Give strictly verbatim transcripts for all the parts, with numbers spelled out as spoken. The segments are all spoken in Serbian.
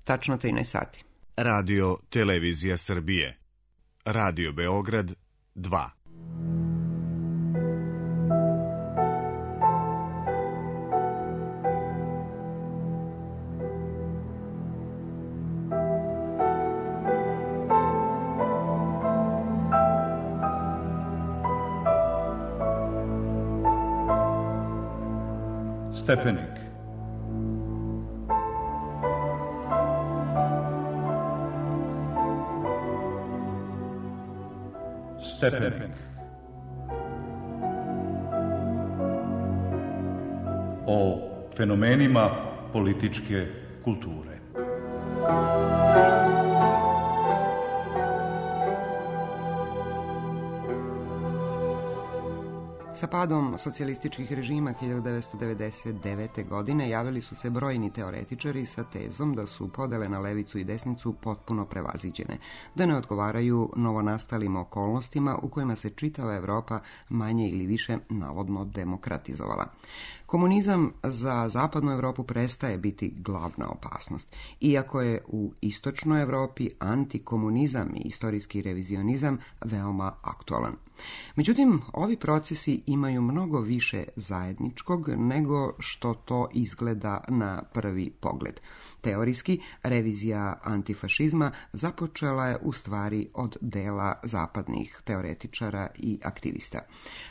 tačno trinaest sati. Radio Televizija Srbije. Radio Beograd dva. Stepenik. Stepenik. O fenomenima političke kulture. Sa padom socijalističkih režima hiljadu devetsto devedeset devete. godine javili su se brojni teoretičari sa tezom da su podele na levicu i desnicu potpuno prevaziđene, da ne odgovaraju novonastalim okolnostima u kojima se čitava Evropa manje ili više navodno demokratizovala. Komunizam za zapadnu Evropu prestaje biti glavna opasnost, iako je u istočnoj Evropi antikomunizam i istorijski revizionizam veoma aktualan. Međutim, ovi procesi imaju mnogo više zajedničkog nego što to izgleda na prvi pogled. Teorijski, revizija antifašizma započela je u stvari od dela zapadnih teoretičara i aktivista.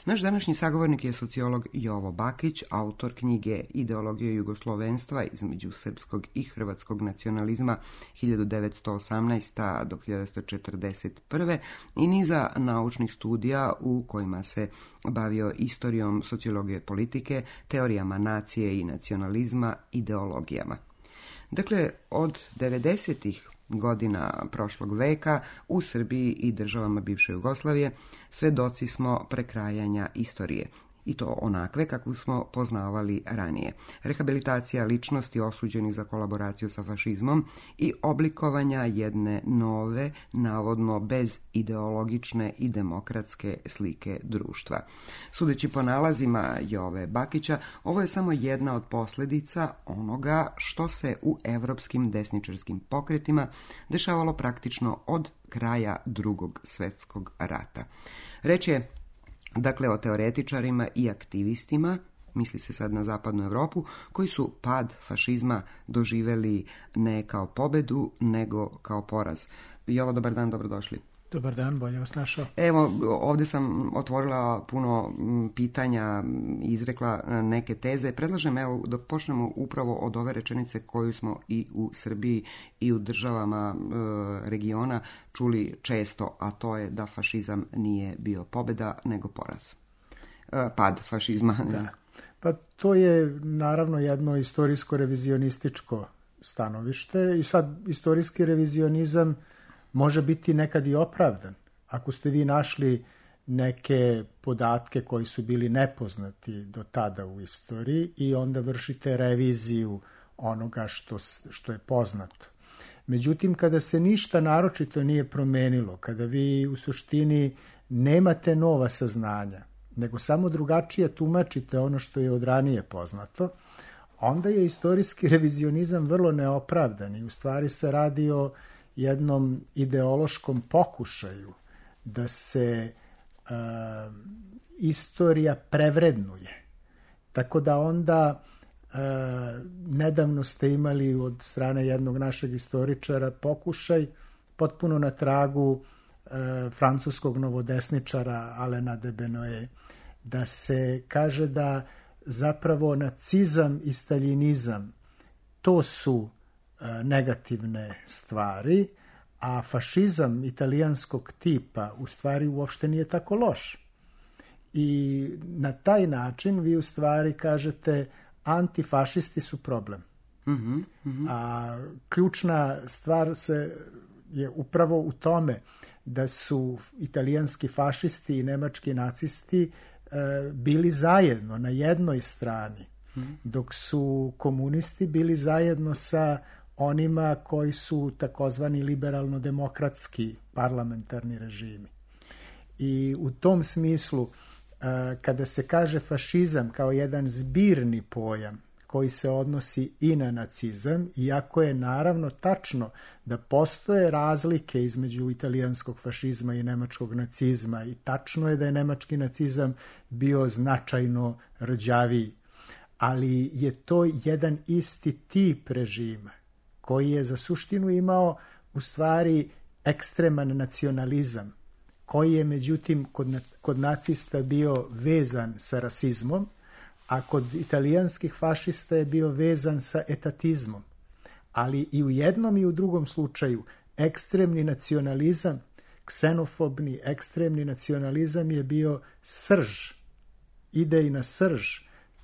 Naš današnji sagovornik je sociolog Jovo Bakić, autor knjige Ideologija jugoslovenstva između srpskog i hrvatskog nacionalizma hiljadu devetsto osamnaeste. do hiljadu devetsto četrdeset prve. i niza naučnih studija u kojima se bavio istorijom sociologije politike, teorijama nacije i nacionalizma, ideologijama. Dakle, od devedesetih godina prošlog veka u Srbiji i državama bivše Jugoslavije svedoci smo prekrajanja istorije, i to onakve kakvu smo poznavali ranije. Rehabilitacija ličnosti osuđenih za kolaboraciju sa fašizmom i oblikovanja jedne nove, navodno bez ideologične i demokratske slike društva. Sudeći po nalazima Jove Bakića, ovo je samo jedna od posljedica onoga što se u evropskim desničarskim pokretima dešavalo praktično od kraja Drugog svjetskog rata. Reč je dakle o teoretičarima i aktivistima, misli se sad na zapadnu Europu, koji su pad fašizma doživjeli ne kao pobedu, nego kao poraz. Jovo, dobar dan, dobrodošli. Dobar dan, bolje vas našao. Evo, ovdje sam otvorila puno pitanja, izrekla neke teze. Predlažem, evo, da počnemo upravo od ove rečenice koju smo i u Srbiji i u državama e, regiona čuli često, a to je da fašizam nije bio pobjeda, nego poraz. E, pad fašizma. Da. Pa to je naravno jedno istorijsko-revizionističko stanovište i sad istorijski revizionizam može biti nekad i opravdan. Ako ste vi našli neke podatke koji su bili nepoznati do tada u istoriji i onda vršite reviziju onoga što, što je poznato. Međutim, kada se ništa naročito nije promenilo, kada vi u suštini nemate nova saznanja, nego samo drugačije tumačite ono što je od ranije poznato, onda je istorijski revizionizam vrlo neopravdan i u stvari se radi o jednom ideološkom pokušaju da se uh, istorija prevrednuje. Tako da onda uh, nedavno ste imali od strane jednog našeg istoričara pokušaj potpuno na tragu uh, francuskog novodesničara Alena de Benoit, da se kaže da zapravo nacizam i staljinizam to su negativne stvari, a fašizam italijanskog tipa u stvari uopšte nije tako loš. I na taj način vi u stvari kažete antifašisti su problem. Mm-hmm, mm-hmm. A ključna stvar se je upravo u tome da su italijanski fašisti i nemački nacisti e, bili zajedno na jednoj strani, mm-hmm. dok su komunisti bili zajedno sa onima koji su takozvani liberalno-demokratski parlamentarni režimi. I u tom smislu, kada se kaže fašizam kao jedan zbirni pojam koji se odnosi i na nacizam, iako je naravno tačno da postoje razlike između italijanskog fašizma i nemačkog nacizma i tačno je da je nemački nacizam bio značajno rđaviji, ali je to jedan isti tip režima koji je za suštinu imao u stvari ekstreman nacionalizam, koji je međutim kod, kod nacista bio vezan sa rasizmom, a kod italijanskih fašista je bio vezan sa etatizmom. Ali i u jednom i u drugom slučaju ekstremni nacionalizam, ksenofobni ekstremni nacionalizam je bio srž, idejna srž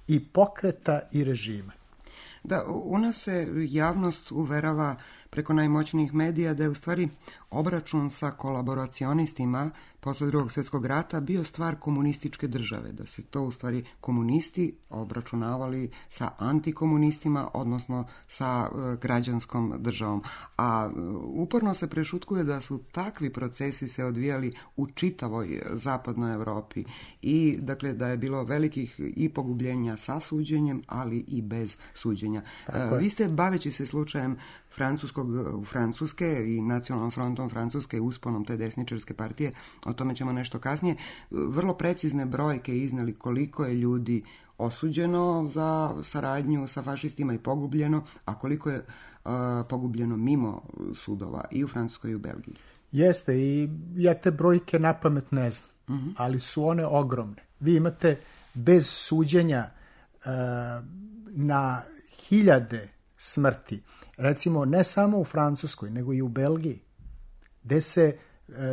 i pokreta i režima. Da, u nas se javnost uverava preko najmoćnijih medija da je u stvari obračun sa kolaboracionistima posle drugog svjetskog rata bio stvar komunističke države, da se to u stvari komunisti obračunavali sa antikomunistima, odnosno sa e, građanskom državom. A e, uporno se prešutkuje da su takvi procesi se odvijali u čitavoj zapadnoj Europi i dakle da je bilo velikih i pogubljenja sa suđenjem, ali i bez suđenja. E, vi ste, baveći se slučajem francuskog, Francuske i nacionalnom frontom Francuske i usponom te desničarske partije, o tome ćemo nešto kasnije, vrlo precizne brojke izneli koliko je ljudi osuđeno za saradnju sa fašistima i pogubljeno, a koliko je uh, pogubljeno mimo sudova i u Francuskoj i u Belgiji. Jeste, i ja te brojke napamet ne znam, uh-huh. ali su one ogromne. Vi imate bez suđenja uh, na hiljade smrti, recimo ne samo u Francuskoj, nego i u Belgiji, gde se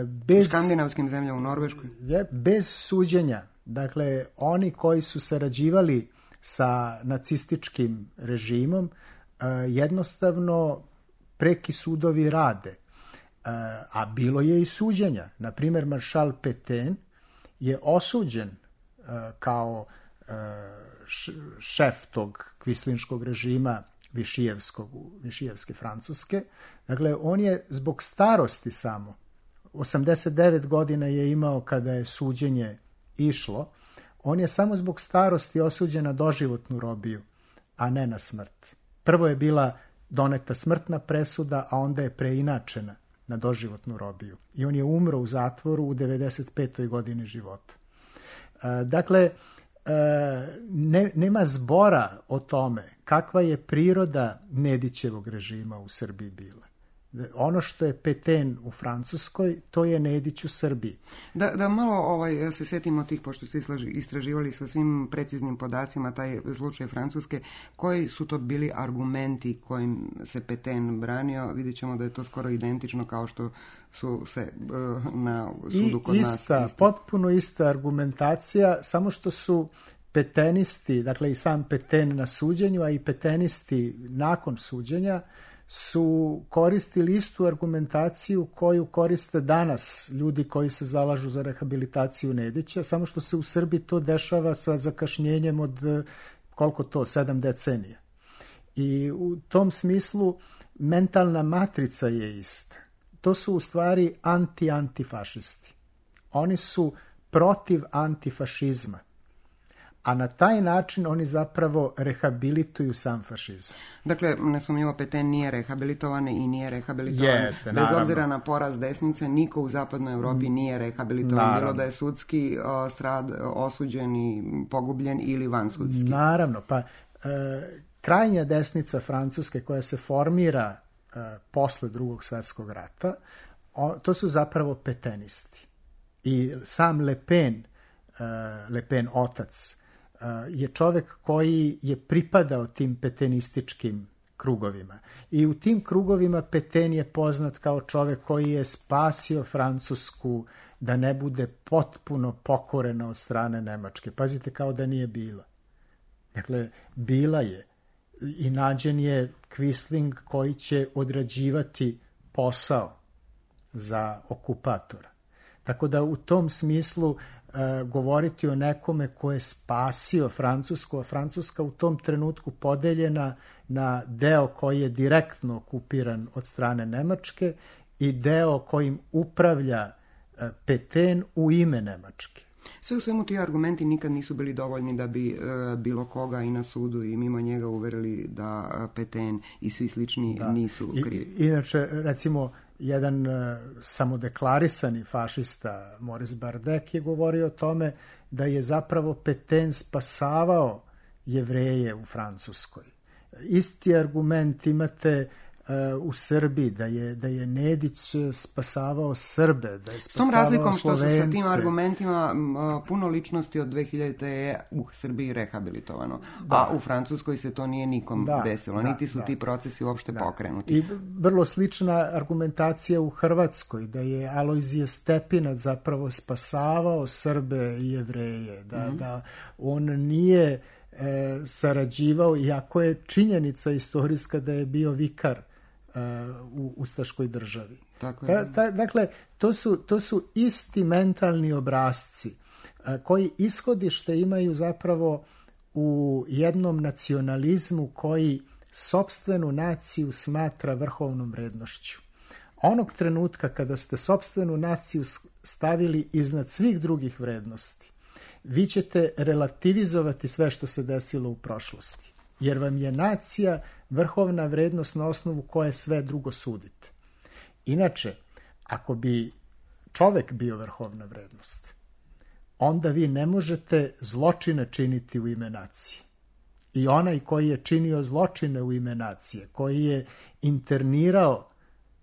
bez, u skandinavskim zemljama, u Norveškoj. Je, bez suđenja, dakle, oni koji su sarađivali sa nacističkim režimom, jednostavno preki sudovi rade. A bilo je i suđenja. Naprimjer, maršal Pétain je osuđen kao šef tog kvislinškog režima Višijevskog, Višijevske Francuske. Dakle, on je zbog starosti samo, osamdeset devet godina je imao kada je suđenje išlo, on je samo zbog starosti osuđen na doživotnu robiju, a ne na smrt. Prvo je bila doneta smrtna presuda, a onda je preinačena na doživotnu robiju. I on je umro u zatvoru u devedeset petoj godini života. Dakle, ne, nema zbora o tome kakva je priroda Nedićevog režima u Srbiji bila. Ono što je Pétain u Francuskoj, to je Nedić u Srbiji. Da, da malo ovaj, se setimo tih, pošto ste istraživali sa svim preciznim podacima taj slučaj Francuske, koji su to bili argumenti kojim se Pétain branio? Vidjet ćemo da je to skoro identično kao što su se na sudu kod I ista, nas. Ista, potpuno ista argumentacija, samo što su petenisti, dakle i sam Pétain na suđenju, a i petenisti nakon suđenja, su koristili istu argumentaciju koju koriste danas ljudi koji se zalažu za rehabilitaciju Nedića, samo što se u Srbiji to dešava sa zakašnjenjem od koliko to, sedam decenija. I u tom smislu mentalna matrica je ista. To su u stvari anti-antifašisti. Oni su protiv antifašizma. A na taj način oni zapravo rehabilituju sam fašizam. Dakle, nesumnjivo Pétain nije rehabilitovan i nije rehabilitovan. Jeste, bez naravno. obzira na poraz desnice, niko u zapadnoj Europi nije rehabilitovan. Naravno. Bilo da je sudski o, strad osuđen i pogubljen ili vansudski. Naravno, pa e, krajnja desnica Francuske koja se formira e, posle drugog svjetskog rata, o, to su zapravo petenisti. I sam Le Pen, e, Le Pen otac, je čovjek koji je pripadao tim petenističkim krugovima. I u tim krugovima Pétain je poznat kao čovjek koji je spasio Francusku da ne bude potpuno pokorena od strane Nemačke. Pazite, kao da nije bila. Dakle, bila je. I nađen je Quisling koji će odrađivati posao za okupatora. Tako da u tom smislu govoriti o nekome ko je spasio Francusku, a Francuska u tom trenutku podeljena na deo koji je direktno okupiran od strane Nemačke i deo kojim upravlja Pétain u ime Nemačke. Sve u svemu ti argumenti nikad nisu bili dovoljni da bi e, bilo koga i na sudu i mimo njega uverili da Petain i svi slični da. nisu krivi. I, inače, recimo, jedan e, samodeklarisani fašista Maurice Bardec je govorio o tome da je zapravo Petain spasavao Jevreje u Francuskoj. Isti argument imate u Srbiji, da je, da je Nedić spasavao Srbe, da je spasavao Slovence. S tom razlikom što su sa tim argumentima puno ličnosti od dve hiljadite je u Srbiji rehabilitovano, da. a u Francuskoj se to nije nikom da, desilo, da, niti su da. ti procesi uopšte da. pokrenuti. I vrlo slična argumentacija u Hrvatskoj, da je Alojzije Stepinac zapravo spasavao Srbe i Jevreje, da, mm-hmm. da on nije e, sarađivao, iako je činjenica istorijska da je bio vikar u ustaškoj državi. Tako je. Ta, ta, dakle, to su, to su isti mentalni obrasci koji ishodište imaju zapravo u jednom nacionalizmu koji sopstvenu naciju smatra vrhovnom vrednošću. Onog trenutka kada ste sopstvenu naciju stavili iznad svih drugih vrednosti, vi ćete relativizovati sve što se desilo u prošlosti. Jer vam je nacija vrhovna vrednost na osnovu koje sve drugo sudite. Inače, ako bi čovek bio vrhovna vrednost, onda vi ne možete zločine činiti u ime nacije. I onaj koji je činio zločine u ime nacije, koji je internirao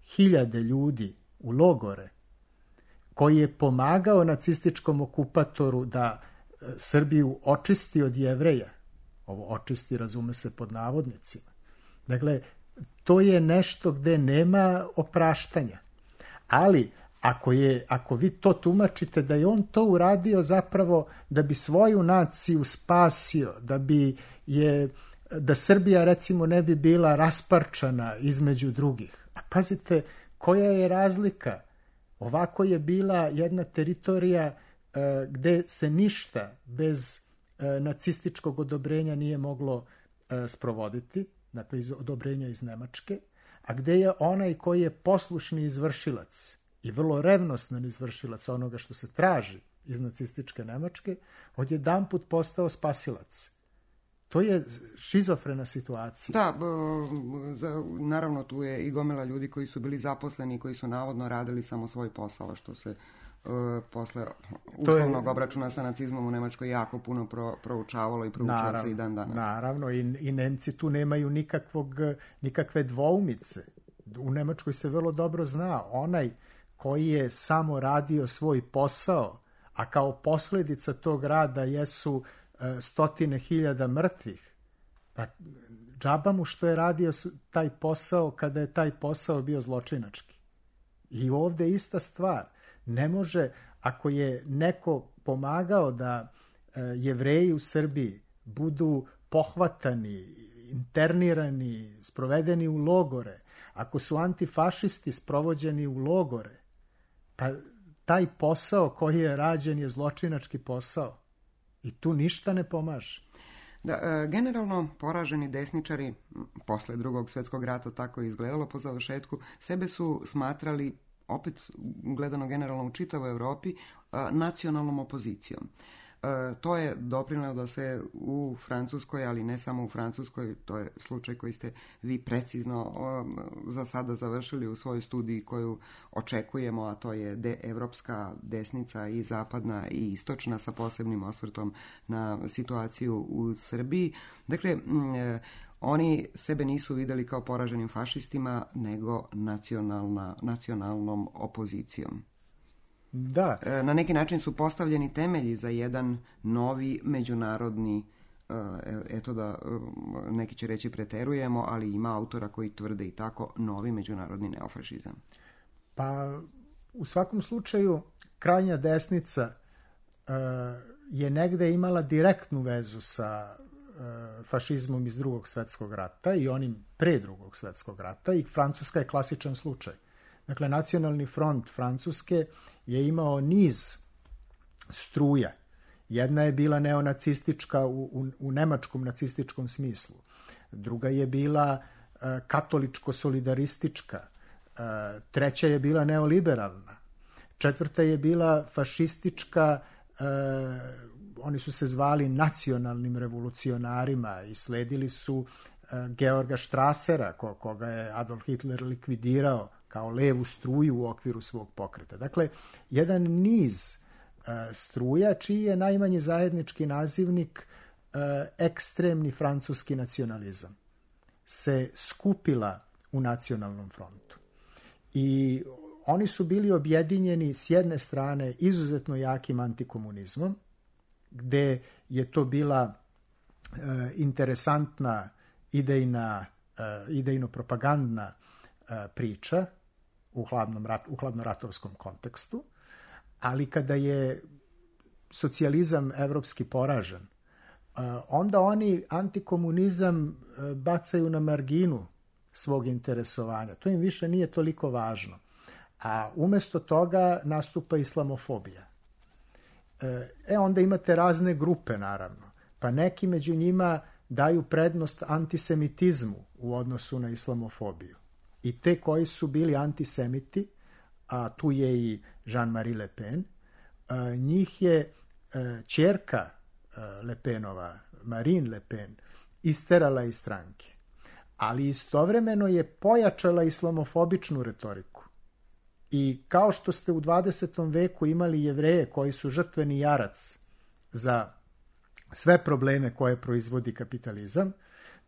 hiljade ljudi u logore, koji je pomagao nacističkom okupatoru da Srbiju očisti od Jevreja, ovo očisti razume se pod navodnicima. Dakle, to je nešto gde nema opraštanja. Ali, ako, je, ako vi to tumačite da je on to uradio zapravo da bi svoju naciju spasio, da bi je, da Srbija recimo ne bi bila rasparčana između drugih. A pazite, koja je razlika? Ovako je bila jedna teritorija e, gde se ništa bez nacističkog odobrenja nije moglo e, sprovoditi, dakle iz odobrenja iz Nemačke, a gde je onaj koji je poslušni izvršilac i vrlo revnostan izvršilac onoga što se traži iz nacističke Nemačke, odjedanput postao spasilac. To je šizofrena situacija. Da, za, naravno tu je i gomila ljudi koji su bili zaposleni i koji su navodno radili samo svoj posao, što se Uh, posle uslovnog je, obračuna sa nacizmom u Nemačkoj jako puno pro, proučavalo i proučava naravno, se i dan danas. Naravno, i, i Nemci tu nemaju nikakvog, nikakve dvoumice. U Nemačkoj se vrlo dobro zna, onaj koji je samo radio svoj posao, a kao posljedica tog rada jesu uh, stotine hiljada mrtvih, pa džaba mu što je radio taj posao kada je taj posao bio zločinački. I ovde ista stvar. Ne može, ako je neko pomagao da e, Jevreji u Srbiji budu pohvatani, internirani, sprovedeni u logore, ako su antifašisti sprovođeni u logore, pa taj posao koji je rađen je zločinački posao. I tu ništa ne pomaže. Da, e, generalno poraženi desničari, posle drugog svjetskog rata tako je izgledalo po završetku, sebe su smatrali, opet gledano generalno u čitavoj Europi, nacionalnom opozicijom. To je doprinelo da se u Francuskoj, ali ne samo u Francuskoj, to je slučaj koji ste vi precizno za sada završili u svojoj studiji koju očekujemo, a to je de, evropska desnica i zapadna i istočna sa posebnim osvrtom na situaciju u Srbiji. Dakle, oni sebe nisu videli kao poraženim fašistima, nego nacionalna, nacionalnom opozicijom. Da. Na neki način su postavljeni temelji za jedan novi međunarodni, eto da neki će reći preterujemo, ali ima autora koji tvrde i tako, novi međunarodni neofašizam. Pa u svakom slučaju krajnja desnica je negde imala direktnu vezu sa fašizmom iz drugog svjetskog rata i onim pre drugog svjetskog rata, i Francuska je klasičan slučaj. Dakle, Nacionalni front Francuske je imao niz struja. Jedna je bila neonacistička u, u, u nemačkom nacističkom smislu. Druga je bila uh, katoličko-solidaristička. Uh, treća je bila neoliberalna. Četvrta je bila fašistička uh, oni su se zvali nacionalnim revolucionarima i sledili su Georga Strassera, koga je Adolf Hitler likvidirao kao levu struju u okviru svog pokreta. Dakle, jedan niz struja čiji je najmanji zajednički nazivnik ekstremni francuski nacionalizam se skupila u nacionalnom frontu. I oni su bili objedinjeni s jedne strane izuzetno jakim antikomunizmom, gde je to bila e, interesantna idejna, e, idejno-propagandna e, priča u, hladnom rat, u hladnoratovskom kontekstu, ali kada je socijalizam evropski poražen, e, onda oni antikomunizam e, bacaju na marginu svog interesovanja. To im više nije toliko važno. A umesto toga nastupa islamofobija. E, onda imate razne grupe, naravno. Pa neki među njima daju prednost antisemitizmu u odnosu na islamofobiju. I te koji su bili antisemiti, a tu je i Jean-Marie Le Pen, njih je ćerka Le Penova, Marine Le Pen, isterala iz stranke. Ali istovremeno je pojačala islamofobičnu retoriku. I kao što ste u dvadesetom veku imali Jevreje koji su žrtveni jarac za sve probleme koje proizvodi kapitalizam,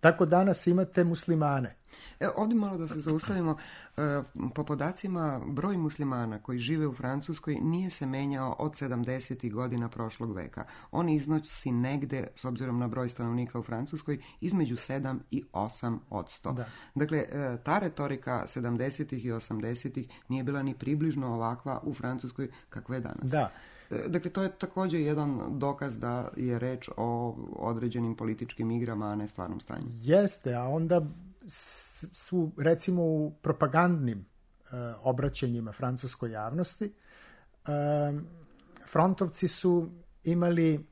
tako danas imate muslimane. E, ovdje malo da se zaustavimo. E, po podacima, broj muslimana koji žive u Francuskoj nije se menjao od sedamdesetih godina prošlog veka. On iznosi negde, s obzirom na broj stanovnika u Francuskoj, između sedam i osam odsto. Da. Dakle, e, ta retorika sedamdesetih i osamdesetih nije bila ni približno ovakva u Francuskoj kakva je danas. Da. Dakle, to je također jedan dokaz da je reč o određenim političkim igrama, a ne stvarnom stanju. Jeste, a onda su, recimo, u propagandnim e, obraćanjima francuskoj javnosti, e, frontovci su imali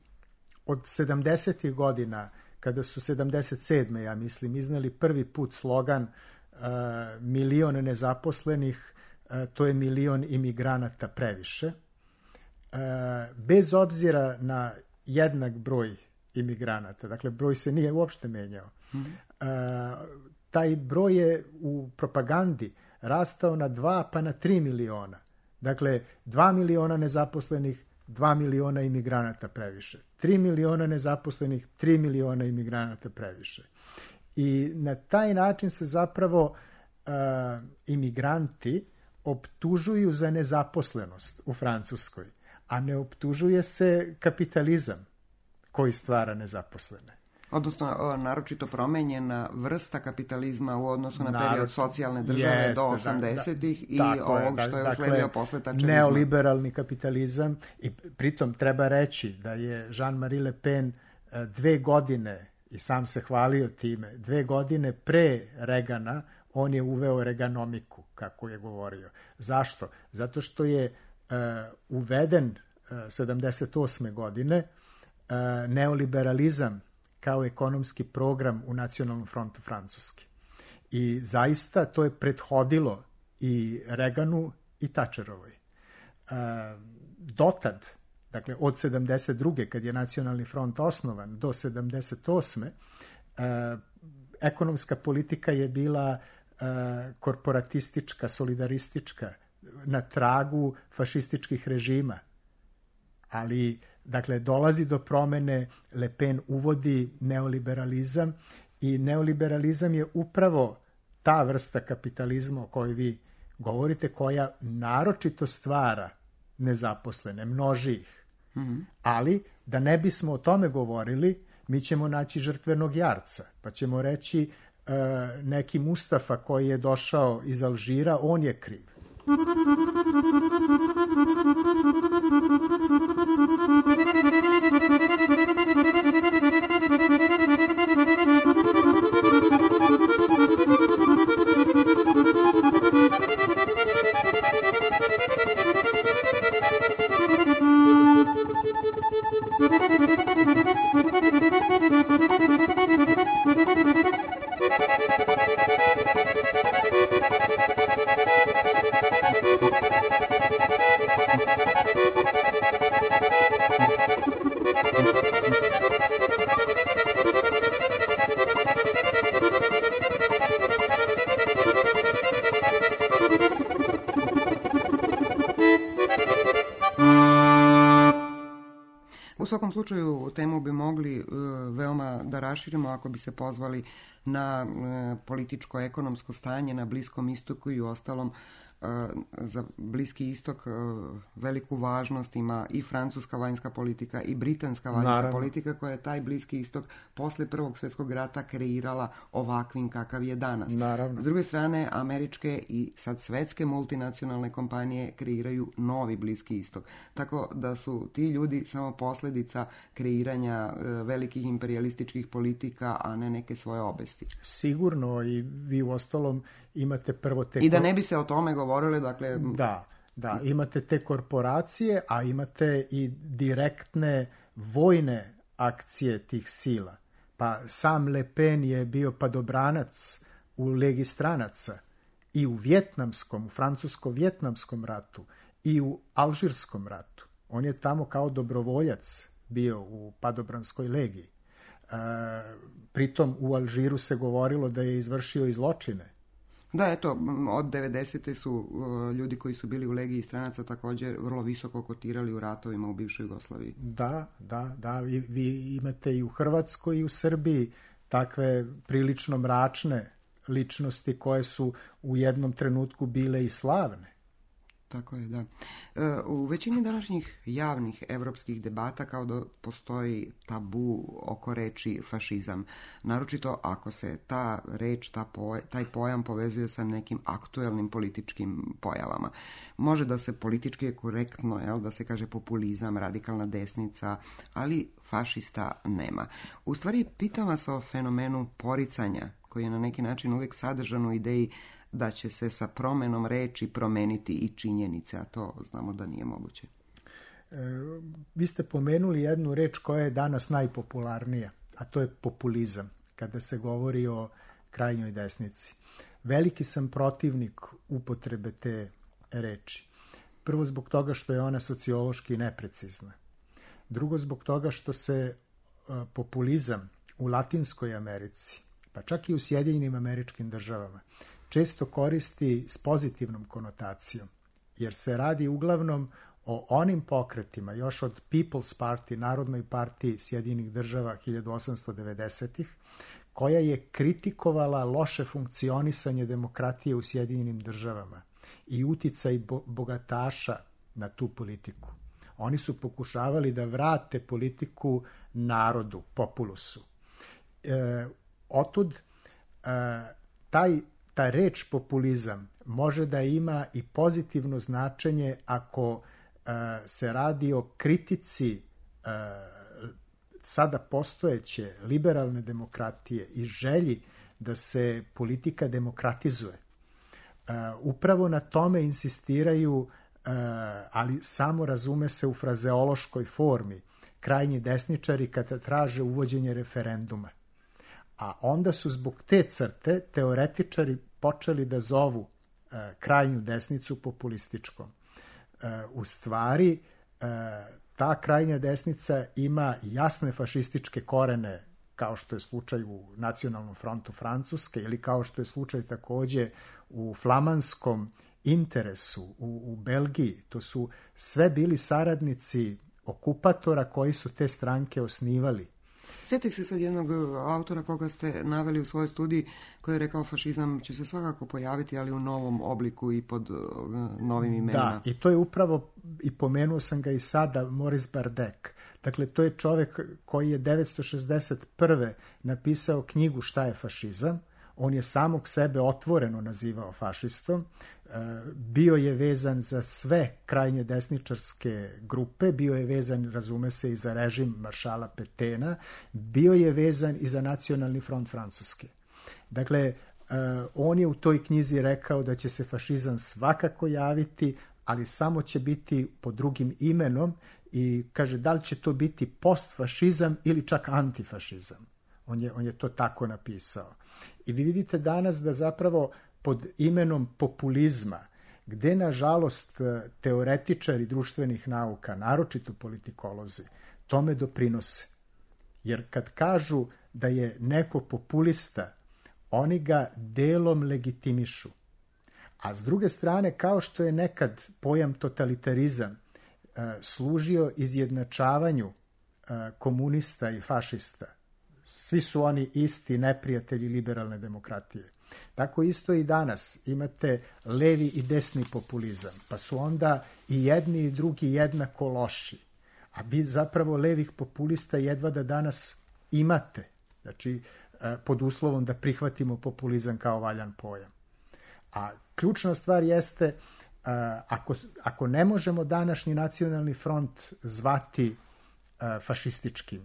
od sedamdesetih godina, kada su sedamdeset sedme ja mislim, iznali prvi put slogan e, milion nezaposlenih, e, to je milion imigranata previše. Bez obzira na jednak broj imigranata, dakle broj se nije uopšte menjao, mm-hmm. taj broj je u propagandi rastao na dva pa na tri miliona. Dakle, dva miliona nezaposlenih, dva miliona imigranata previše. Tri miliona nezaposlenih, tri miliona imigranata previše. I na taj način se zapravo uh, imigranti optužuju za nezaposlenost u Francuskoj, a ne optužuje se kapitalizam koji stvara nezaposlene. Odnosno, naročito promenjena vrsta kapitalizma u odnosu na period Narod, socijalne države jeste, do osamdesetih i ovog što je dakle, usledio posle tačevizma. Neoliberalni kapitalizam i pritom treba reći da je Jean-Marie Le Pen dve godine, i sam se hvalio time, dve godine pre Regana on je uveo reganomiku, kako je govorio. Zašto? Zato što je uh, uveden uh, sedamdeset osme godine uh, neoliberalizam kao ekonomski program u Nacionalnom frontu Francuske. I zaista to je prethodilo i Reganu i Thatcherovoj. Uh, dotad, dakle od sedamdeset druge kad je Nacionalni front osnovan do sedamdeset osme uh, ekonomska politika je bila uh, korporatistička, solidaristička, na tragu fašističkih režima. Ali, dakle, dolazi do promene, Le Pen uvodi neoliberalizam i neoliberalizam je upravo ta vrsta kapitalizma o kojoj vi govorite, koja naročito stvara nezaposlene, množi ih. Mm-hmm. Ali, da ne bismo o tome govorili, mi ćemo naći žrtvenog jarca, pa ćemo reći uh, neki Mustafa koji je došao iz Alžira, on je kriv. Thank you. svakom slučaju temu bi mogli veoma da raširimo ako bi se pozvali na političko-ekonomsko stanje na Bliskom istoku i u ostalom za Bliski istok veliku važnost ima i francuska vanjska politika i britanska vanjska Naravno. politika koja je taj Bliski istok posle Prvog svjetskog rata kreirala ovakvim kakav je danas. Naravno. S druge strane, američke i sad svetske multinacionalne kompanije kreiraju novi Bliski istok. Tako da su ti ljudi samo posljedica kreiranja velikih imperialističkih politika, a ne neke svoje obesti. Sigurno, i vi u ostalom imate prvo te... I da ne bi se o tome govorili, dakle... Da, da, imate te korporacije, a imate i direktne vojne akcije tih sila. Pa sam Le Pen je bio padobranac u Legi stranaca i u vjetnamskom, u francusko-vjetnamskom ratu i u alžirskom ratu. On je tamo kao dobrovoljac bio u padobranskoj legiji. E, pritom u Alžiru se govorilo da je izvršio i zločine. Da, eto, od devedesete su uh, ljudi koji su bili u Legiji stranaca također vrlo visoko kotirali u ratovima u bivšoj Jugoslaviji. Da, da, da. Vi, vi imate i u Hrvatskoj i u Srbiji takve prilično mračne ličnosti koje su u jednom trenutku bile i slavne. Tako je, da. U većini današnjih javnih evropskih debata kao da postoji tabu oko reči fašizam. Naročito ako se ta reč, ta poj, taj pojam povezuje sa nekim aktuelnim političkim pojavama. Može da se politički je korektno, jel, da se kaže populizam, radikalna desnica, ali fašista nema. U stvari, pitam vas o fenomenu poricanja, koji je na neki način uvijek sadržan u ideji da će se sa promenom reči promeniti i činjenice, a to znamo da nije moguće. E, vi ste pomenuli jednu reč koja je danas najpopularnija, a to je populizam, kada se govori o krajnjoj desnici. Veliki sam protivnik upotrebe te reči. Prvo zbog toga što je ona sociološki neprecizna. Drugo zbog toga što se a, populizam u Latinskoj Americi, pa čak i u Sjedinjenim Američkim Državama, često koristi s pozitivnom konotacijom, jer se radi uglavnom o onim pokretima, još od People's Party, Narodnoj partiji Sjedinjenih Država hiljadu osamsto devedesetih, koja je kritikovala loše funkcionisanje demokratije u Sjedinjenim Državama i uticaj bo- bogataša na tu politiku. Oni su pokušavali da vrate politiku narodu, populusu. E, otud e, taj Ta reč populizam može da ima i pozitivno značenje ako uh, se radi o kritici uh, sada postojeće liberalne demokratije i želji da se politika demokratizuje. Uh, upravo na tome insistiraju, uh, ali samo razume se u frazeološkoj formi, krajnji desničari kada traže uvođenje referenduma. A onda su zbog te crte teoretičari počeli da zovu e, krajnju desnicu populističkom. E, u stvari, e, ta krajnja desnica ima jasne fašističke korene, kao što je slučaj u Nacionalnom frontu Francuske ili kao što je slučaj takođe u flamanskom interesu u, u Belgiji. To su sve bili saradnici okupatora koji su te stranke osnivali. Sjetih se sad jednog autora koga ste naveli u svojoj studiji, koji je rekao fašizam će se svakako pojaviti, ali u novom obliku i pod uh, novim imenima. Da, i to je upravo, i pomenuo sam ga i sada, Maurice Bardek. Dakle, to je čovjek koji je devetsto šezdeset prve napisao knjigu Šta je fašizam. On je samog sebe otvoreno nazivao fašistom. Bio je vezan za sve krajnje desničarske grupe, bio je vezan, razume se, i za režim maršala Petena, bio je vezan i za Nacionalni front Francuske. Dakle, on je u toj knjizi rekao da će se fašizam svakako javiti, ali samo će biti pod drugim imenom i kaže da li će to biti postfašizam ili čak antifašizam. On je, on je to tako napisao. I vi vidite danas da zapravo pod imenom populizma, gde nažalost teoretičari društvenih nauka, naročito politikolozi, tome doprinose. Jer kad kažu da je neko populista, oni ga delom legitimišu. A s druge strane, kao što je nekad pojam totalitarizam služio izjednačavanju komunista i fašista, svi su oni isti neprijatelji liberalne demokratije. Tako isto i danas imate levi i desni populizam, pa su onda i jedni i drugi jednako loši. A vi zapravo levih populista jedva da danas imate, znači pod uslovom da prihvatimo populizam kao valjan pojam. A ključna stvar jeste, ako, ako ne možemo današnji nacionalni front zvati fašističkim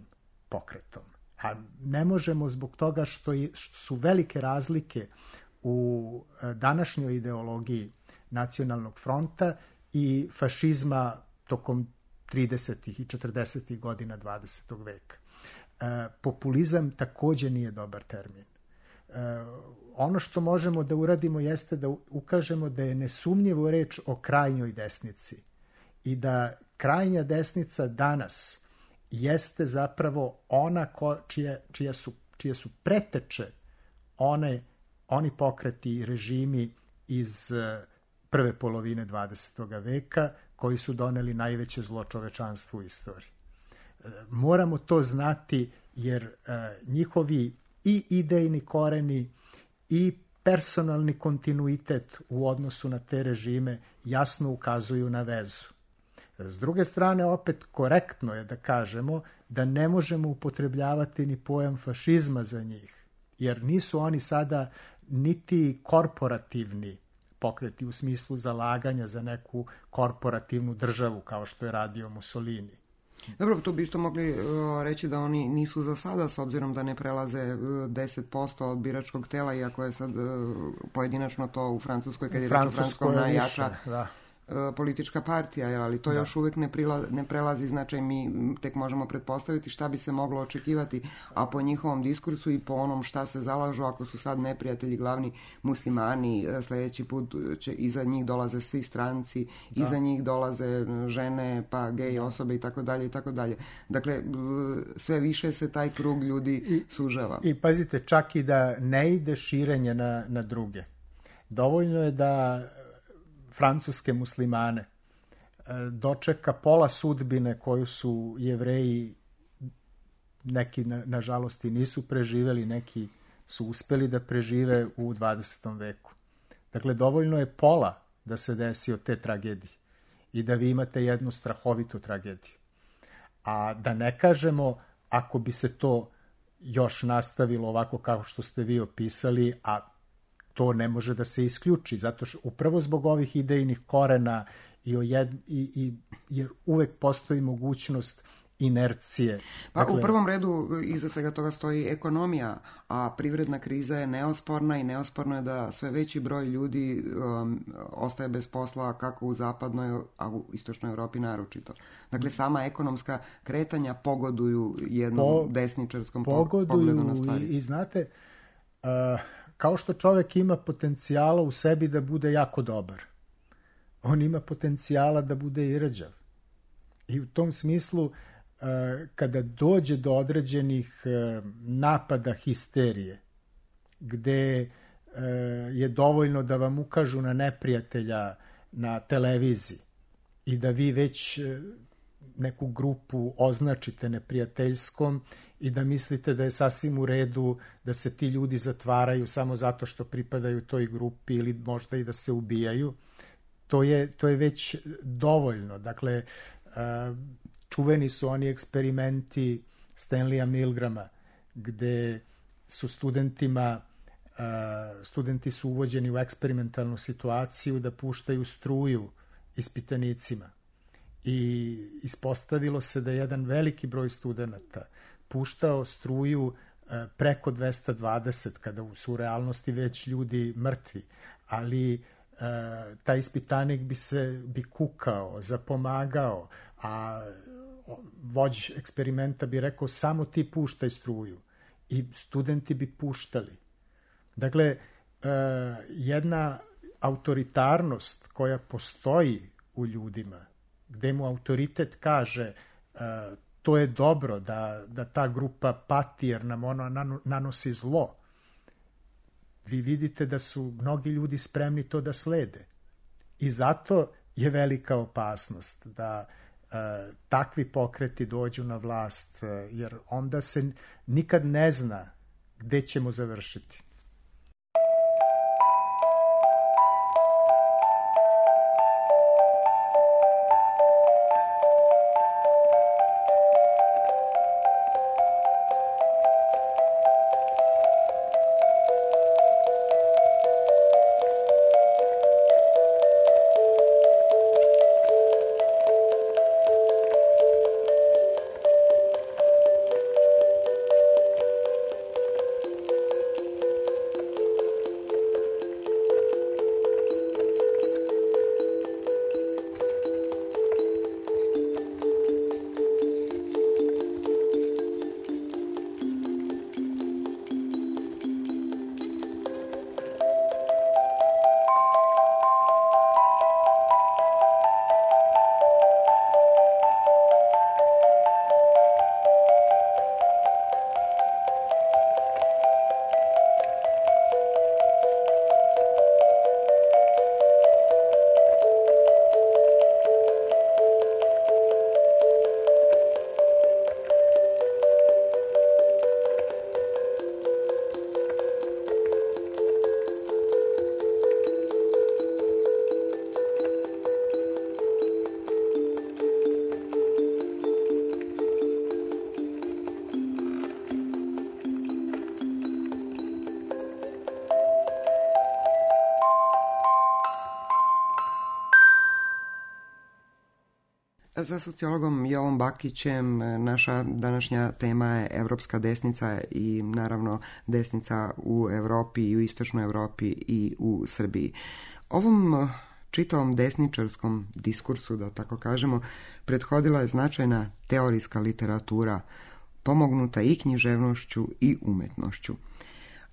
pokretom, a ne možemo zbog toga što, je, što su velike razlike u današnjoj ideologiji nacionalnog fronta i fašizma tokom tridesetih i četrdesetih godina dvadesetog veka. E, populizam takođe nije dobar termin. E, ono što možemo da uradimo jeste da ukažemo da je nesumnjivo reč o krajnjoj desnici i da krajnja desnica danas jeste zapravo ona ko, čije, čije, su, čije su preteče one, oni pokreti i režimi iz prve polovine dvadesetog veka koji su doneli najveće zlo čovečanstvu u istoriji. Moramo to znati jer njihovi i idejni koreni i personalni kontinuitet u odnosu na te režime jasno ukazuju na vezu. S druge strane, opet korektno je da kažemo da ne možemo upotrebljavati ni pojam fašizma za njih, jer nisu oni sada niti korporativni pokreti u smislu zalaganja za neku korporativnu državu kao što je radio Mussolini. Dobro, tu bi isto mogli uh, reći da oni nisu za sada, s obzirom da ne prelaze uh, deset posto od biračkog tela, iako je sad uh, pojedinačno to u Francuskoj, kad je reč o Francuskom, najjača više, da. politička partija, ali to da. još uvijek ne, prila, ne prelazi značaj, mi tek možemo pretpostaviti šta bi se moglo očekivati, a po njihovom diskursu i po onom šta se zalažu, ako su sad neprijatelji glavni muslimani, sljedeći put će iza njih dolaze svi stranci, da. iza njih dolaze žene, pa gej osobe i tako dalje i tako dalje. Dakle, sve više se taj krug ljudi I, sužava. I pazite, čak i da ne ide širenje na, na druge. Dovoljno je da francuske muslimane dočeka pola sudbine koju su Jevreji, neki na, nažalost i nisu preživeli, neki su uspeli da prežive u dvadesetom veku. Dakle, dovoljno je pola da se desi od te tragedije i da vi imate jednu strahovitu tragediju. A da ne kažemo, ako bi se to još nastavilo ovako kao što ste vi opisali, a to ne može da se isključi, zato što upravo zbog ovih idejnih korena i, ojed, i, i jer uvek postoji mogućnost inercije. Pa dakle, u prvom redu iza svega toga stoji ekonomija, a privredna kriza je neosporna i neosporno je da sve veći broj ljudi um, ostaje bez posla kako u zapadnoj, a u istočnoj Europi naročito. Dakle, sama ekonomska kretanja pogoduju jednom po, desničarskom pogledu na stvari. I, i znate, uh, kao što čovjek ima potencijala u sebi da bude jako dobar, on ima potencijala da bude i rđav. I u tom smislu, kada dođe do određenih napada histerije, gde je dovoljno da vam ukažu na neprijatelja na televiziji i da vi već neku grupu označite neprijateljskom i da mislite da je sasvim u redu da se ti ljudi zatvaraju samo zato što pripadaju toj grupi ili možda i da se ubijaju, to je, to je već dovoljno. Dakle, čuveni su oni eksperimenti Stanleya Milgrama, gde su studentima, studenti su uvođeni u eksperimentalnu situaciju da puštaju struju ispitanicima. I ispostavilo se da je jedan veliki broj studenata puštao struju preko dvesta dvadeset, kada su u realnosti već ljudi mrtvi, ali taj ispitanik bi se bi kukao, zapomagao, a vođ eksperimenta bi rekao samo ti puštaj struju i studenti bi puštali. Dakle, jedna autoritarnost koja postoji u ljudima, gde mu autoritet kaže to je dobro da, da ta grupa pati jer nam ono nanosi zlo, vi vidite da su mnogi ljudi spremni to da slede. I zato je velika opasnost da uh, takvi pokreti dođu na vlast, jer onda se nikad ne zna gde ćemo završiti. Za sociologom Jovom Bakićem naša današnja tema je evropska desnica i naravno desnica u Evropi i u istočnoj Evropi i u Srbiji. Ovom čitavom desničarskom diskursu, da tako kažemo, prethodila je značajna teorijska literatura, pomognuta i književnošću i umetnošću.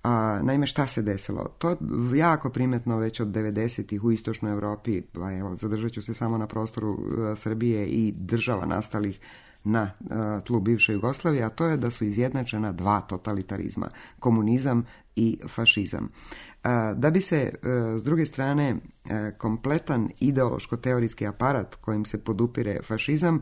A, naime, šta se desilo? To je jako primetno već od devedesetih u istočnoj Evropi, pa evo, zadržat ću se samo na prostoru a, Srbije i država nastalih na a, tlu bivše Jugoslavije, a to je da su izjednačena dva totalitarizma, komunizam i fašizam. A, da bi se, a, s druge strane, a, kompletan ideološko-teorijski aparat kojim se podupire fašizam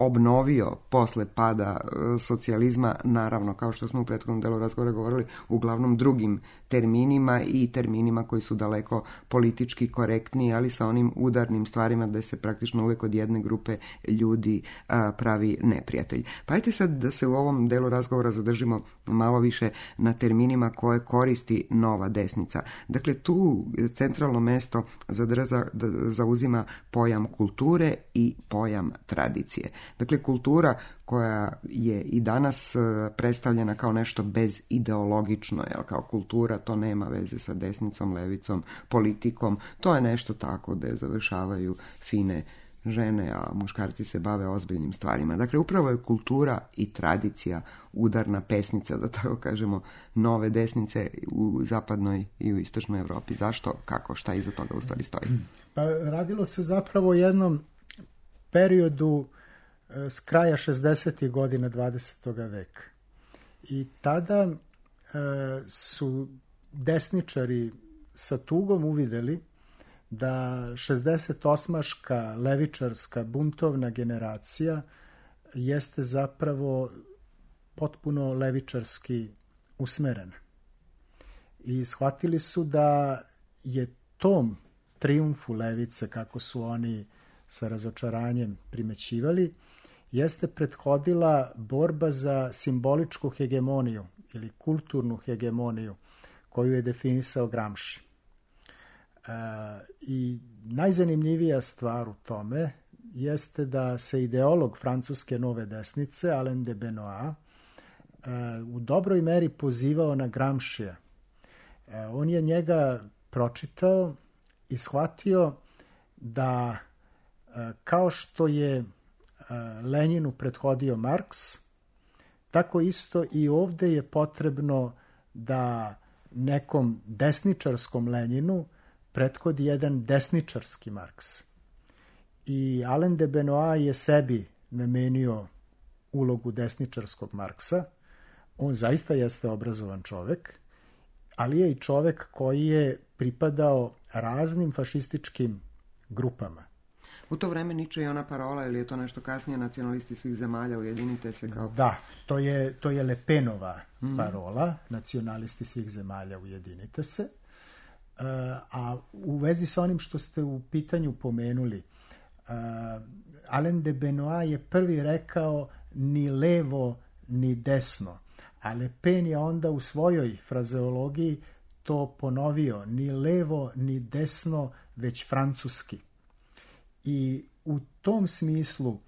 obnovio posle pada socijalizma, naravno, kao što smo u prethodnom delu razgovora govorili, uglavnom drugim terminima i terminima koji su daleko politički korektniji, ali sa onim udarnim stvarima da se praktično uvek od jedne grupe ljudi a, pravi neprijatelj. Pa ajte sad da se u ovom delu razgovora zadržimo malo više na terminima koje koristi nova desnica. Dakle, tu centralno mesto zadrza, zauzima pojam kulture i pojam tradicije. Dakle, kultura koja je i danas predstavljena kao nešto bezideologično, jel, kao kultura, to nema veze sa desnicom, levicom, politikom, to je nešto tako da završavaju fine žene, a muškarci se bave ozbiljnim stvarima. Dakle, upravo je kultura i tradicija udarna pesnica, da tako kažemo, nove desnice u zapadnoj i u istočnoj Evropi. Zašto, kako, šta iza toga u stvari stoji? Pa radilo se zapravo o jednom periodu s kraja šezdesetih godina dvadesetog veka. I tada e, su desničari sa tugom uvideli da šezdesetosmaška levičarska buntovna generacija jeste zapravo potpuno levičarski usmerena. I shvatili su da je tom trijumfu levice, kako su oni sa razočaranjem primećivali, jeste prethodila borba za simboličku hegemoniju ili kulturnu hegemoniju koju je definisao Gramsci. E, I najzanimljivija stvar u tome jeste da se ideolog francuske nove desnice, Alain de Benoist, e, u dobroj meri pozivao na Gramscija. E, on je njega pročitao i shvatio da e, kao što je Lenjinu prethodio Marks, tako isto i ovde je potrebno da nekom desničarskom Lenjinu prethodi jedan desničarski Marks. I Alain de Benoist je sebi namenio ulogu desničarskog Marksa. On zaista jeste obrazovan čovek, ali je i čovek koji je pripadao raznim fašističkim grupama. U to vreme Niče je ona parola, ili je to nešto kasnije, nacionalisti svih zemalja, ujedinite se kao... Da, to je, to je Le Penova parola, mm. nacionalisti svih zemalja, ujedinite se. Uh, a u vezi sa onim što ste u pitanju pomenuli, uh, Alain de Benoit je prvi rekao ni levo ni desno, a Le Pen je onda u svojoj frazeologiji to ponovio, ni levo ni desno, već francuski. I u tom smislu uh,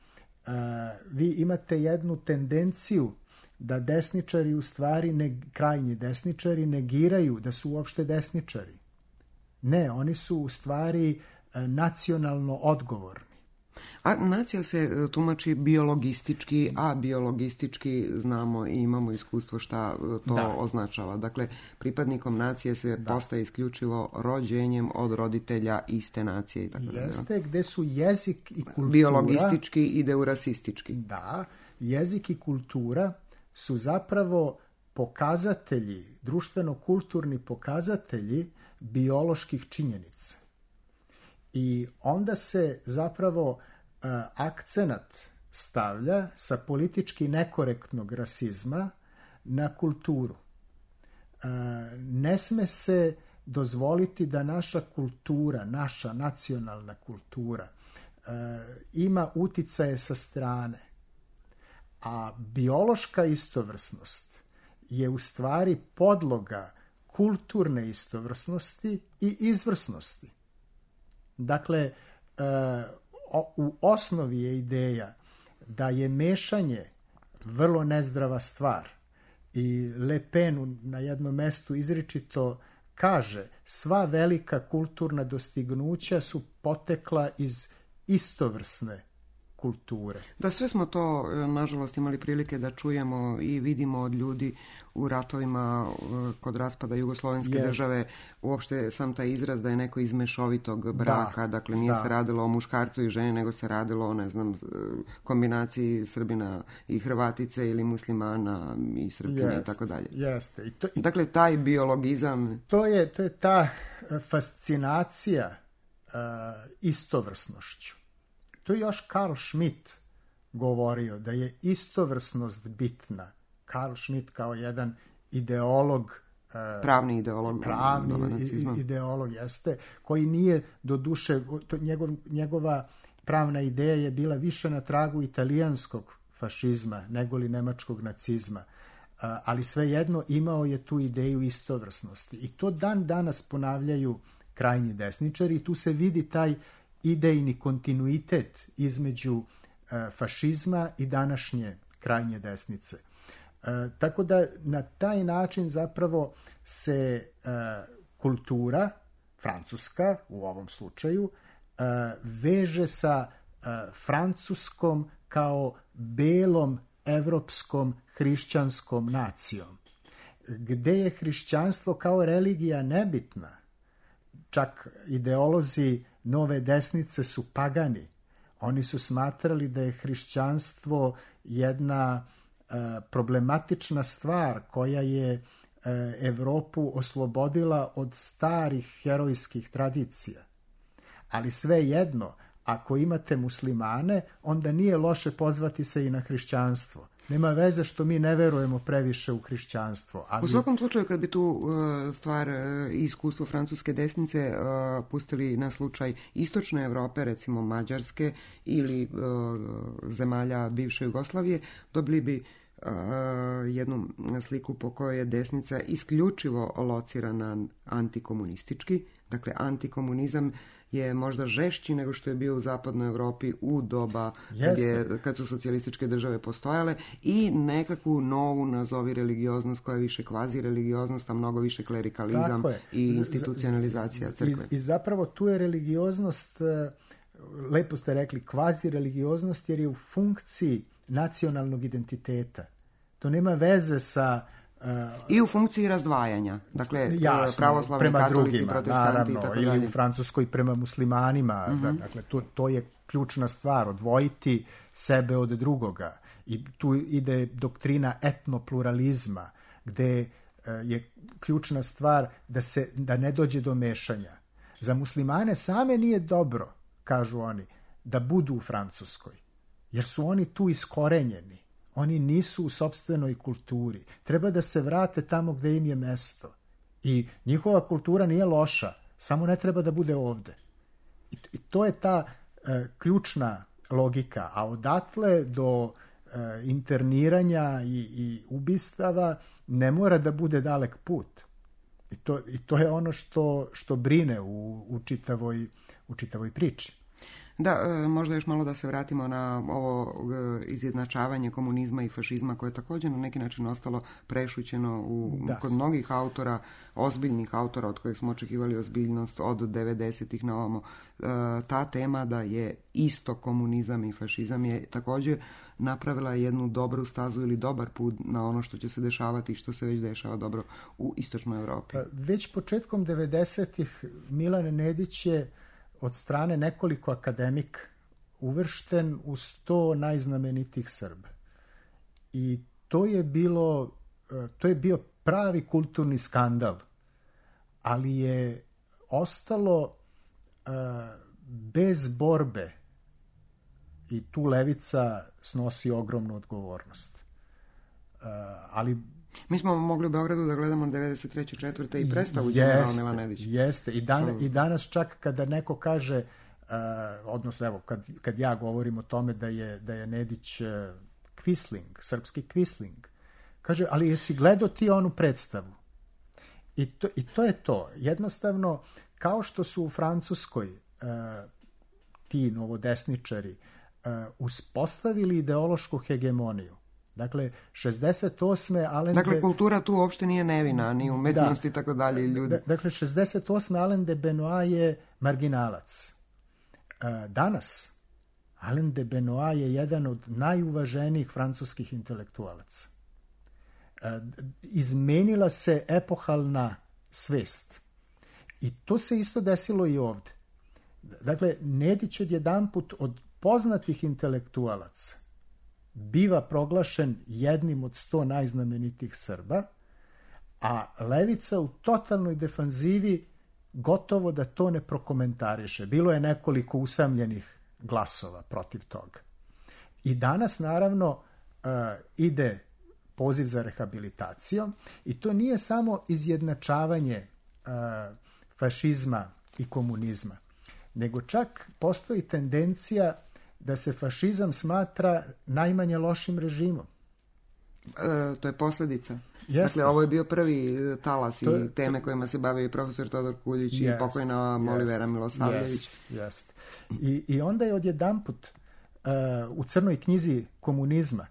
vi imate jednu tendenciju da desničari u stvari, ne, krajnji desničari, negiraju da su uopšte desničari. Ne, oni su u stvari nacionalno odgovorni. A nacija se tumači biologistički, a biologistički znamo i imamo iskustvo šta to da. označava. Dakle, pripadnikom nacije se da. postaje isključivo rođenjem od roditelja iste nacije. I tako Jeste, da. gde su jezik i kultura... Biologistički ide u rasistički. Da, jezik i kultura su zapravo pokazatelji, društveno-kulturni pokazatelji bioloških činjenica. I onda se zapravo uh, akcenat stavlja sa politički nekorektnog rasizma na kulturu. Uh, ne sme se dozvoliti da naša kultura, naša nacionalna kultura uh, ima uticaje sa strane. A biološka istovrsnost je u stvari podloga kulturne istovrsnosti i izvrsnosti. Dakle, u osnovi je ideja da je mešanje vrlo nezdrava stvar i Le Pen na jednom mestu izričito kaže sva velika kulturna dostignuća su potekla iz istovrsne kulture. Da, sve smo to, nažalost, imali prilike da čujemo i vidimo od ljudi u ratovima kod raspada Jugoslovenske yes. države. Uopšte sam taj izraz da je neko iz mešovitog braka, da, dakle nije da. se radilo o muškarcu i ženi, nego se radilo o, ne znam, kombinaciji Srbina i Hrvatice ili muslimana i Srpkinje yes. i tako dalje. Jeste. I to, i... Dakle, taj biologizam... To je, to je ta fascinacija uh, istovrsnošću. To je još Karl Schmitt govorio da je istovrsnost bitna. Karl Schmitt kao jedan ideolog, pravni ideolog, pravni ideolog jeste, koji nije do duše, to njegov, njegova pravna ideja je bila više na tragu italijanskog fašizma nego li nemačkog nacizma. Ali svejedno imao je tu ideju istovrsnosti. I to dan danas ponavljaju krajnji desničari i tu se vidi taj idejni kontinuitet između uh, fašizma i današnje krajnje desnice. Uh, tako da na taj način zapravo se uh, kultura, francuska u ovom slučaju, uh, veže sa uh, francuskom kao belom evropskom hrišćanskom nacijom, gde je hrišćanstvo kao religija nebitna. Čak ideolozi nove desnice su pagani. Oni su smatrali da je hrišćanstvo jedna e, problematična stvar koja je e, Evropu oslobodila od starih herojskih tradicija. Ali svejedno, ako imate muslimane, onda nije loše pozvati se i na hrišćanstvo. Nema veze što mi ne verujemo previše u hrišćanstvo. Ali... U svakom slučaju, kad bi tu uh, stvar i uh, iskustvo francuske desnice uh, pustili na slučaj istočne Evrope, recimo Mađarske ili uh, zemalja bivše Jugoslavije, dobili bi uh, jednu sliku po kojoj je desnica isključivo locirana antikomunistički. Dakle, antikomunizam je možda žešći nego što je bio u zapadnoj Evropi u doba kad, je, kad su socijalističke države postojale i nekakvu novu, nazovi, religioznost koja je više kvazi religioznost, a mnogo više klerikalizam i institucionalizacija crkve. I, I zapravo tu je religioznost, lepo ste rekli, kvazi religioznost jer je u funkciji nacionalnog identiteta. To nema veze sa... Uh, I u funkciji razdvajanja. Dakle, jasno, pravoslavni, prema katolici, drugima, protestanti naravno, i tako ili dalje. u Francuskoj prema muslimanima. Mm-hmm. Dakle, to, to je ključna stvar, odvojiti sebe od drugoga. I tu ide doktrina etnopluralizma, gde uh, je ključna stvar da, se, da ne dođe do mešanja. Za muslimane same nije dobro, kažu oni, da budu u Francuskoj, jer su oni tu iskorenjeni. Oni nisu u sopstvenoj kulturi. Treba da se vrate tamo gde im je mesto. I njihova kultura nije loša, samo ne treba da bude ovde. I, i to je ta e, ključna logika. A odatle do e, interniranja i, i ubistava ne mora da bude dalek put. I to, i to je ono što, što brine u, u, čitavoj, u čitavoj priči. Da, možda još malo da se vratimo na ovo izjednačavanje komunizma i fašizma koje je također na neki način ostalo prešućeno u, kod mnogih autora, ozbiljnih autora od kojih smo očekivali ozbiljnost od devedesetih na ovamo. Ta tema da je isto komunizam i fašizam je također napravila jednu dobru stazu ili dobar put na ono što će se dešavati i što se već dešava dobro u istočnoj Evropi. Već početkom devedesetih Milan Nedić je od strane nekoliko akademika uvršten u sto najznamenitijih Srba. I to je bilo, to je bio pravi kulturni skandal, ali je ostalo uh, bez borbe i tu levica snosi ogromnu odgovornost. Uh, ali mi smo mogli u Beogradu da gledamo devedeset treće četvrte i predstavu generala Milan Nedić. Jeste, i, dan, i danas čak kada neko kaže, uh, odnosno evo, kad, kad ja govorim o tome da je, da je Nedić uh, Quisling, srpski Quisling, kaže, ali jesi gledao ti onu predstavu? I to, i to je to. Jednostavno, kao što su u Francuskoj uh, ti novodesničari uh, uspostavili ideološku hegemoniju. Dakle, šezdeset osme Alain Dakle, de... kultura tu uopšte nije nevina, ni umetnost i tako dalje. Ljudi. Dakle, šezdeset osme Alain de Benoit je marginalac. Danas, Alain de Benoit je jedan od najuvaženijih francuskih intelektualaca. Izmenila se epohalna svest. I to se isto desilo i ovde. Dakle, Nedić odjedanput od poznatih intelektualaca biva proglašen jednim od sto najznamenitijih Srba, a levica u totalnoj defanzivi gotovo da to ne prokomentariše. Bilo je nekoliko usamljenih glasova protiv toga. I danas, naravno, uh, ide poziv za rehabilitacijom i to nije samo izjednačavanje uh, fašizma i komunizma, nego čak postoji tendencija da se fašizam smatra najmanje lošim režimom. E, to je posljedica. Jeste. Dakle, ovo je bio prvi talas to, i teme to, kojima se bavio i profesor Todor Kuljić jest, i pokojna Molivera Milosavljević. Jest, jest. I, I onda je odjedanput uh, u crnoj knjizi komunizma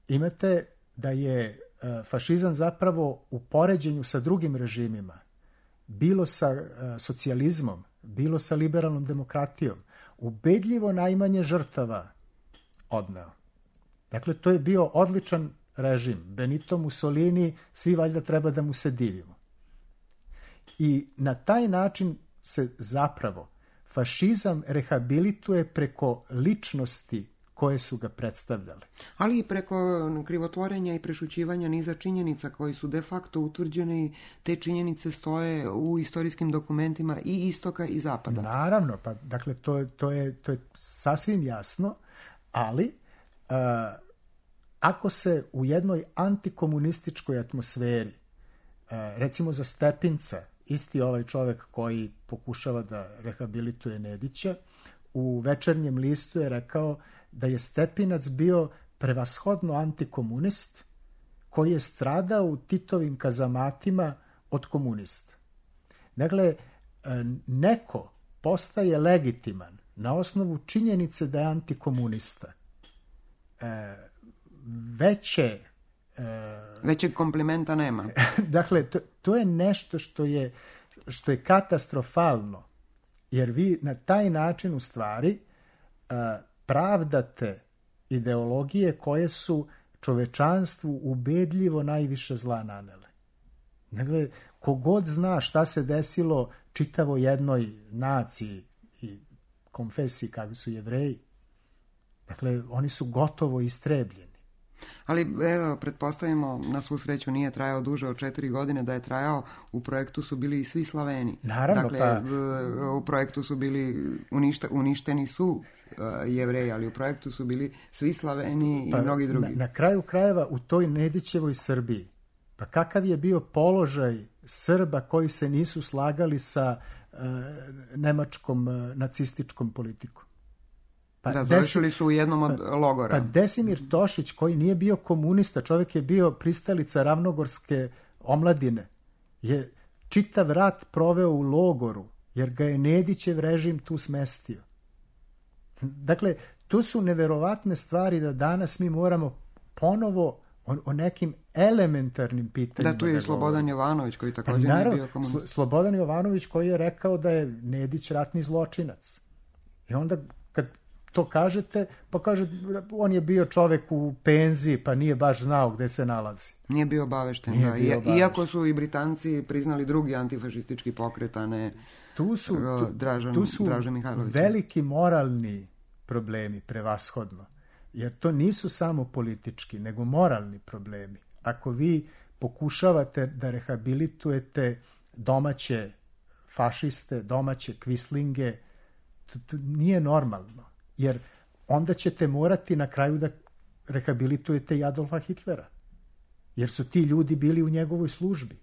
imate da je uh, fašizam zapravo u poređenju sa drugim režimima, bilo sa uh, socijalizmom, bilo sa liberalnom demokratijom, ubedljivo najmanje žrtava odneo. Dakle, to je bio odličan režim. Benito Mussolini, svi valjda treba da mu se divimo. I na taj način se zapravo fašizam rehabilituje preko ličnosti koje su ga predstavljale. Ali i preko krivotvorenja i prešućivanja niza činjenica koji su de facto utvrđene i te činjenice stoje u istorijskim dokumentima i istoka i zapada. Naravno, pa dakle to, to, je, to je sasvim jasno, ali uh, ako se u jednoj antikomunističkoj atmosferi, uh, recimo za Stepinca, isti ovaj čovjek koji pokušava da rehabilituje Nedića, u Večernjem listu je rekao da je Stepinac bio prevashodno antikomunist koji je stradao u Titovim kazamatima od komunista. Dakle, neko postaje legitiman na osnovu činjenice da je antikomunista. Veće Većeg komplimenta nema. Dakle, to, to je nešto što je, što je katastrofalno, jer vi na taj način u stvari uh, pravdate ideologije koje su čovečanstvu ubedljivo najviše zla nanele. Dakle, kogod zna šta se desilo čitavo jednoj naciji i konfesiji kakvi su Jevreji, dakle, oni su gotovo istrebljeni. Ali, evo, pretpostavimo, na svu sreću nije trajao duže od četiri godine, da je trajao, u projektu su bili i svi Slaveni. Naravno, dakle, pa... u projektu su bili, uništa, uništeni su uh, Jevreji, ali u projektu su bili svi Slaveni pa, i mnogi drugi. Na, na kraju krajeva, u toj Nedićevoj Srbiji, pa kakav je bio položaj Srba koji se nisu slagali sa uh, nemačkom uh, nacističkom politikom? Pa da, završili su u jednom od pa, logora. Pa Desimir Tošić, koji nije bio komunista, čovjek je bio pristalica ravnogorske omladine, je čitav rat proveo u logoru, jer ga je Nedićev režim tu smestio. Dakle, to su neverovatne stvari da danas mi moramo ponovo o, o nekim elementarnim pitanjima. Da, tu je i Slobodan Jovanović, koji također pa, nije bio komunista. Slobodan Jovanović koji je rekao da je Nedić ratni zločinac. I onda kad to kažete, pa kaže, on je bio čovek u penziji, pa nije baš znao gde se nalazi. Nije bio obavešten, nije da. Bio obavešten. Iako su i Britanci priznali drugi antifašistički pokret, a ne tu su, tu, Dražan, tu su Dražan Mihajlović. Veliki moralni problemi, prevashodno. Jer to nisu samo politički, nego moralni problemi. Ako vi pokušavate da rehabilitujete domaće fašiste, domaće kvislinge, to, to nije normalno. Jer onda ćete morati na kraju da rehabilitujete i Adolfa Hitlera. Jer su ti ljudi bili u njegovoj službi.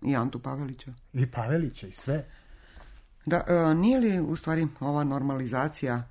I Antu Pavelića. I Pavelića i sve. Da, e, nije li u stvari ova normalizacija,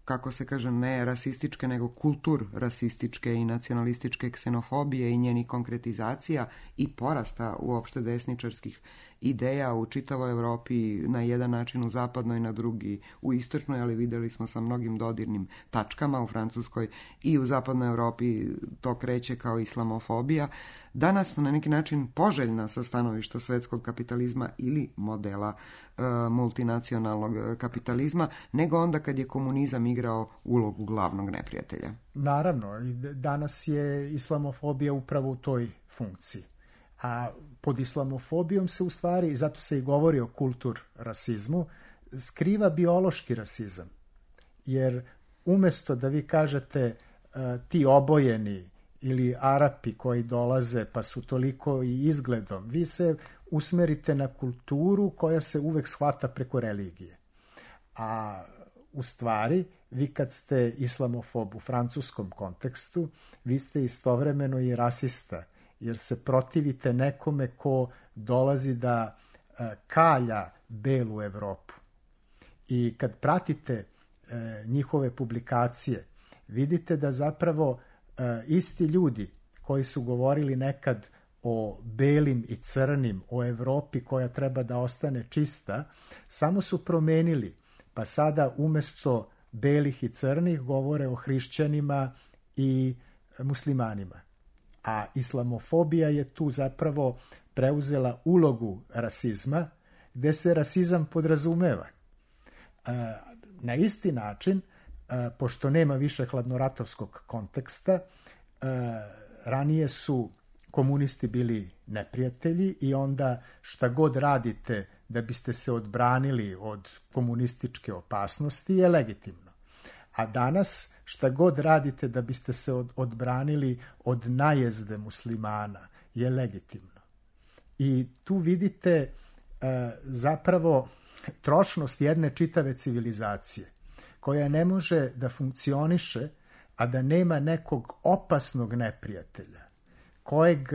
kako se kaže, ne rasističke, nego kultur rasističke i nacionalističke ksenofobije i njeni konkretizacija i porasta uopšte desničarskih ideja u čitavoj Evropi, na jedan način u zapadnoj, na drugi u istočnoj, ali videli smo sa mnogim dodirnim tačkama u Francuskoj i u zapadnoj Evropi to kreće kao islamofobija. Danas na neki način poželjna sa stanovišta svetskog kapitalizma ili modela e, multinacionalnog kapitalizma, nego onda kad je komunizam igrao ulogu glavnog neprijatelja. Naravno, danas je islamofobija upravo u toj funkciji. A pod islamofobijom se u stvari, zato se i govori o kultur rasizmu, skriva biološki rasizam. Jer umesto da vi kažete uh, ti obojeni ili Arapi koji dolaze pa su toliko i izgledom, vi se usmerite na kulturu koja se uvek shvata preko religije. A u stvari, vi kad ste islamofob u francuskom kontekstu, vi ste istovremeno i rasista, jer se protivite nekome ko dolazi da uh, kalja belu Evropu. I kad pratite uh, njihove publikacije, vidite da zapravo uh, isti ljudi koji su govorili nekad o belim i crnim, o Evropi koja treba da ostane čista, samo su promenili, pa sada umesto belih i crnih govore o hrišćanima i muslimanima. A islamofobija je tu zapravo preuzela ulogu rasizma, gde se rasizam podrazumeva. Na isti način, pošto nema više hladnoratovskog konteksta, ranije su komunisti bili neprijatelji i onda šta god radite da biste se odbranili od komunističke opasnosti je legitimno. A danas šta god radite da biste se od, odbranili od najezde muslimana je legitimno. I tu vidite e, zapravo trošnost jedne čitave civilizacije koja ne može da funkcioniše, a da nema nekog opasnog neprijatelja, kojeg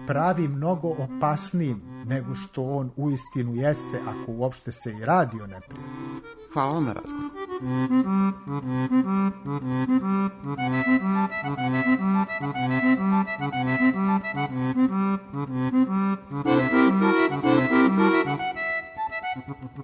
pravi mnogo opasnijim nego što on uistinu jeste, ako uopšte se i radi o neprijatelju. Hvala vam na razgovor. Thank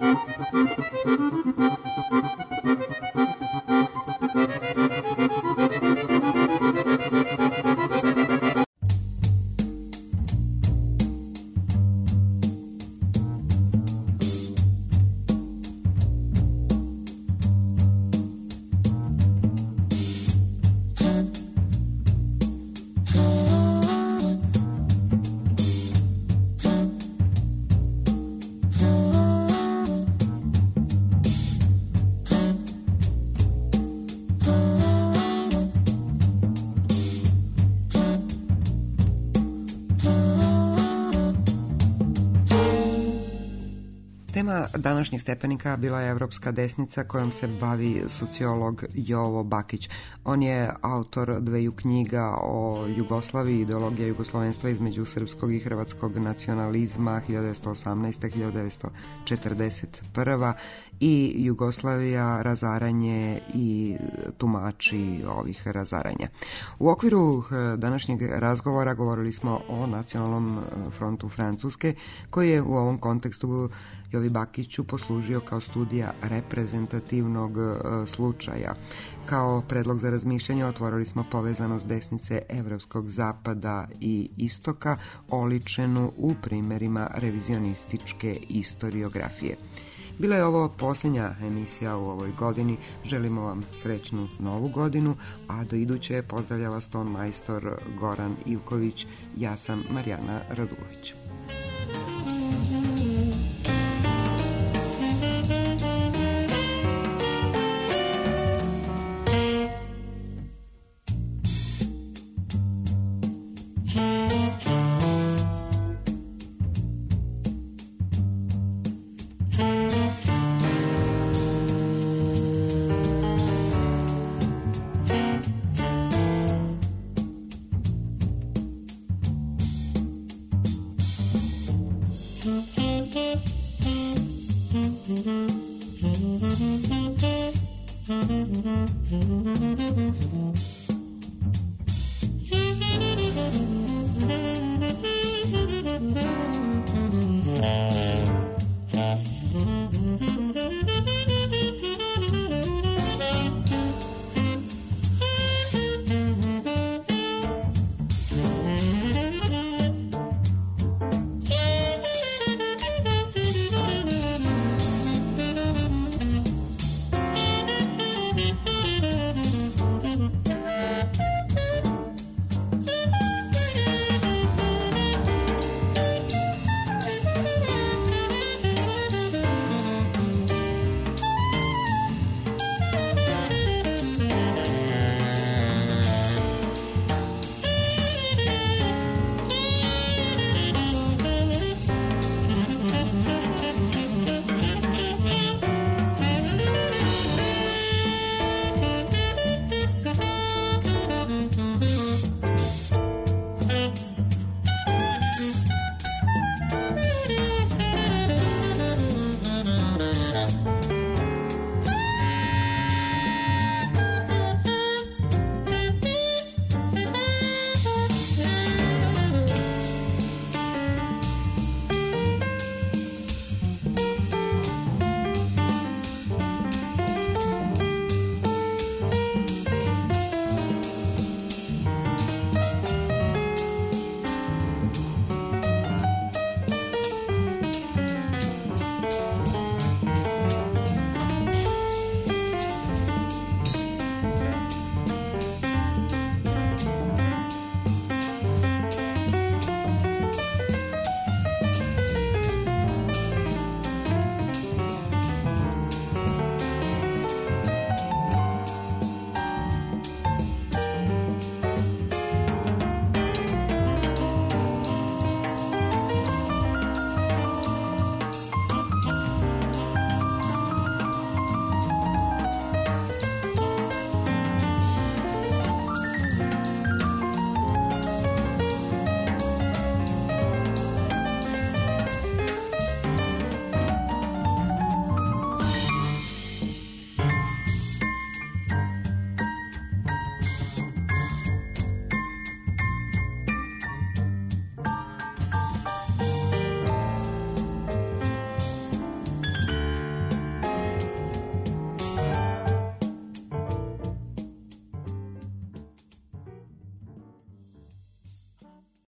you. Tema današnjih stepenika bila je evropska desnica kojom se bavi sociolog Jovo Bakić. On je autor dveju knjiga o Jugoslaviji, ideologija jugoslovenstva između srpskog i hrvatskog nacionalizma hiljadu devetsto osamnaeste do hiljadu devetsto četrdeset prve i Jugoslavija, razaranje i tumači ovih razaranja. U okviru današnjeg razgovora govorili smo o Nacionalnom frontu Francuske, koji je u ovom kontekstu Jovi Bakiću poslužio kao studija reprezentativnog slučaja. Kao predlog za razmišljanje otvorili smo povezanost desnice evropskog zapada i istoka, oličenu u primjerima revizionističke istoriografije. Bila je ovo posljednja emisija u ovoj godini. Želimo vam srećnu novu godinu, a do iduće pozdravlja vas ton majstor Goran Ivković. Ja sam Marijana Radulović. Mm-hmm.